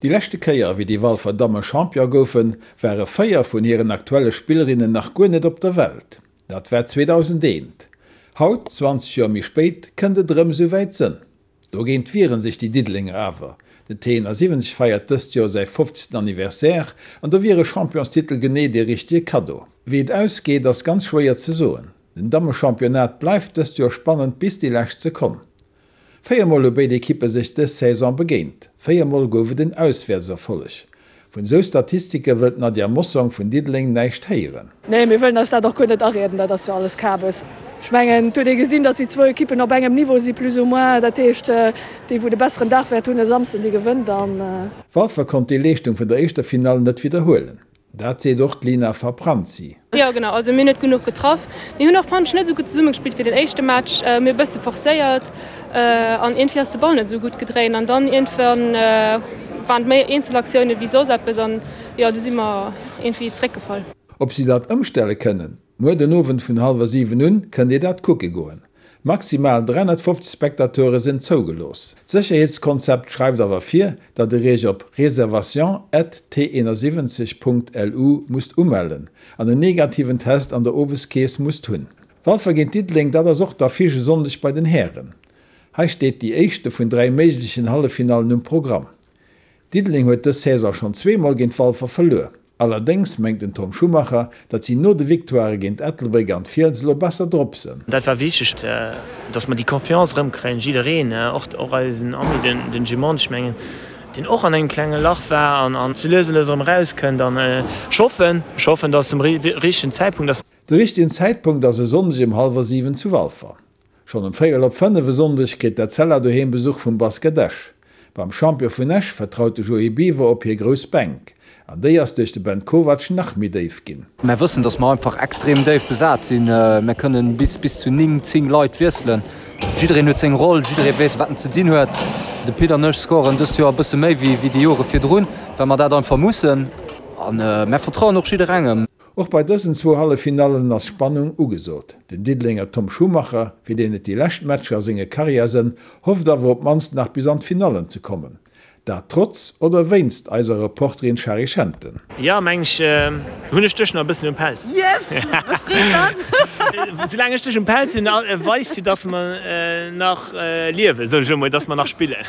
Déi leschte Kéier, wéi déi Walfer Damme Champion goufen, ware 4 vun hiren aktuelle Spillerinnen nach guer net op der Welt. Dat war 2001. Haut, 20 Joer méi spéit, kënnt et erëm esou wäit sënn. Dogéint wiere sech déi Diddelenger awer. Den T71 feiert dëst Joer säi 50. Anniversaire an do wier e Championstitel genee dee richtege Kaddo. Wéi et ausgeet, ass ganz schwéier ze soen. Den Dammechampionnat bleift dëst Joer spannend bis déi lescht Sekonn. 4 Mol hu béid Ekippe sech dës Saison begéint, 4 Mol gouf et en Auswäertserfolleg. Vun esou Statistike wëll d'Nadia Mossong vun Diddeleng näischt héieren. Nee, mir wëllen eis dat och guer net arieden, dat ass jo alles Kabes. Ech mengen, et huet ee gesinn, datt déi zwou Ekippen op engem Niveau si plus ou moins. Dat heescht, déi wou de besseren Dag wäert hunn e Samsden, déi gewënnt an. Walfer konnt déi Leeschtung vun der éischter Finall net widderhuelen. Dat seet och d'Lina Fabranzi. Jo genau, also mir hunn net genuch getraff. Mir hunn och fannen ech net esou gutt zesumme gespillt wéi den éischte Match. Mir hu bësse forcéiert an iergendwéi ass de Ball net esou gutt gedréint an dann iergendwann waren et méi Eenzelaktioune wéi soss eppes an jo du si mer iergendwéi zeréckgefall. Ob si dat ëmstelle kënnen? Muer den Owend vun hallwer 7 un kënnt dir dat kucke goen. Maximal 350 Spectateure sinn zougelooss. D'Sécherheetskonzept schreift awer vir, datt dir iech op reservation at t71 Punkt lu musst umellen an en negativen Test an der Oweskeess musst hunn. Walfer géint Diddeleng, dat ass och d'Affiche e Sonndeg bei den Hären. Hei steet déi éischte vun 3 méiglechen Halleffinallen um Programm. Diddeleng huet dës Saison schonn zweemol géint Walfer verluer. Allerdéngs mengt den Tom Schumacher, datt si no de Victoirë géint Ettelbréck an d'Fiels elo besser drop sënn. Dat war wichteg, datt mer déi Confiance erëmkréien, jiddereen, och eisen Ami, den Jimon, ech mengen, deen och an engem klenge Lach war an sou lues a lues erëm erauskënnt. An ech hoffen, ech hoffen, datt zum richtegen Zäitpunkt ass. De richtegen Zäitpunkt ass e Sonndeg ëm hallwer 7 zu Walfer. Schonn um véierel op 5 e Sonndeg kritt d'Etzella doheem Besuch vum Basket Esch. Beim Champion vun Esch vertraut de Joé Biver op hir grouss Bänk. An déi ass duerch de Ben Kovac nach méi déif ginn. Mär wëssen, dass mer einfach extrem déif besat sinn. Mär kënnen bis bis zu 9, 10 Leit wiesselen. Jiddereen huet seng Roll, jidderee weess, wat en ze dinn huet. De Pit an ech scoren dëst Joer e bësse méi wéi déi Jore virdrun, well mer dat einfach mussen. A mär vertrauen och jidderengem. Och bei dësen zwou Halleffinallen ass Spannung ugesot. Den Diddelenger Tom Schumacher, fir deen et déi lescht Matcher a senge Karriär sënn, hofft awer op d'mannst nach bis an d'Finallen ze kommen. Dat trotz oder wéinst eiser Reporterin Shari Schenten. Jo, meng ech, hunn ech dech nach e bëssen um Pelz. Yes, mech freet dat! Soulaang ech dech um Pelz hunn, weist jo, dass mer nach liewen, soen ech emol, dass mer nach spillen.